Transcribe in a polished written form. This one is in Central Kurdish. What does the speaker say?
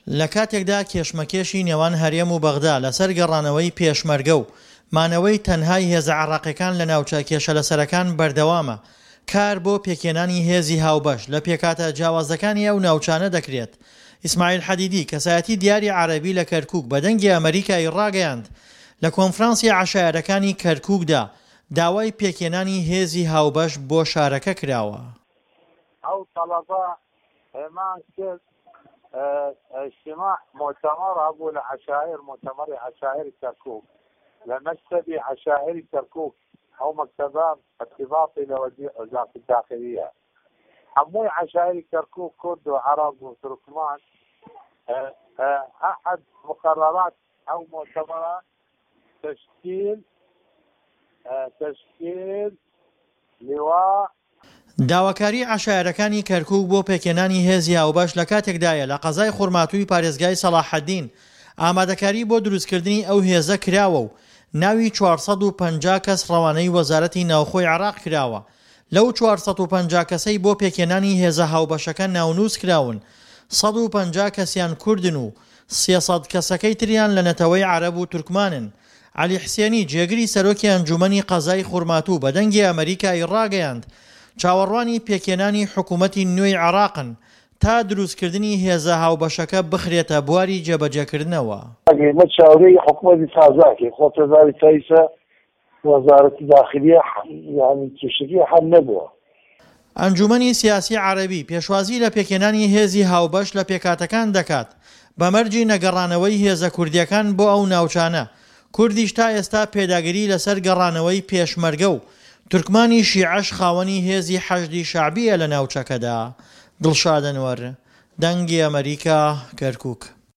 لە کاتێکدا کێشمەکێشی نێوان هەرێم و بەغدا لەسەر گەڕانەوەی پێشمەرگە و مانەوەی تەنهای هێزە عێراقیەکان لە ناوچە کێشەلەسەرەکان بەردەوامە، کار بۆ پێکهێنانی هێزی هاوبەش لە پێکهاتە جیاوازەکانی ئەو ناوچانە دەکرێت. ئیسماعیل حەدیدی، کەسایەتی دیاری عەرەبی لە کەرکوک بە دەنگی ئەمەریکای ڕاگەیاند، لە کۆنفرانسی عەشایەرەکانی کەرکوکدا داوای پێکهێنانی هێزی هاوبەش بۆ شارەکە کراوە. ئەو تەڵەبە هێمان کرد اجتماع مؤتمر هەبوو لە عەشایر مؤتمری عەشایر کەرکوک لە مەکتەبی عەشایر کەرکوک ئەو مەکتەبە ارتباطی لە وەزارەت الداخلیە هەمووی عەشایری کەرکوک کورد و عەرەب و تورکمان احد مقررات ئەو مؤتمرە تشکیل تشکیل لواء داواکاریی عەشایەرەکانی کەرکوک بۆ پێکهێنانی هێزی هاوبەش لە کاتێکدایە لە قەزای خورماتووی پارێزگای سەڵاحەدین ئامادەکاری بۆ دروستکردنی ئەو هێزە کراوە و ناوی 450 کەس ڕەوانەی وەزارەتی ناوخۆی عێراق کراوە. لەو 450 کەسەی بۆ پێکهێنانی هێزە هاوبەشەکە ناونووس کراون، 150 کەسیان کوردن و 300 کەسەکەی تریان لە نەتەوەی عەرەب و تورکمانن. عەلی حسێنی، جێگری سەرۆکی ئەنجوومەنی قەزای خورماتوو بە دەنگی ئەمەریکای ڕاگەیاند، چاوەڕوانی پێکهێنانی حکوومەتی نوێی عێراقن تا دروستکردنی هێزە هاوبەشەکە بخرێتە بواری جێبەجێکردنەوە. ئێمە چاورێی حکومەتی تازە ئەکەین، خۆ تەزاری تا ئیسە وەزارەتی داخلیە یانی کێشەکەی حەل نەبووە. ئەنجوومەنی سیاسی عەرەبی پێشوازی لە پێکهێنانی هێزی هاوبەش لە پێکهاتەکان دەکات بە مەرجی نەگەڕانەوەی هێزە کوردییەکان بۆ ئەو ناوچانە، کوردیش تا ئێستا پێداگری لەسەر گەڕانەوەی پێشمەرگە و تورکمانی شیعەش خاوەنی هێزی حەشدی شەعبییە لە ناوچەکەدا. دڵشاد ئەنوەر، دەنگی ئەمەریکا، کەرکوک.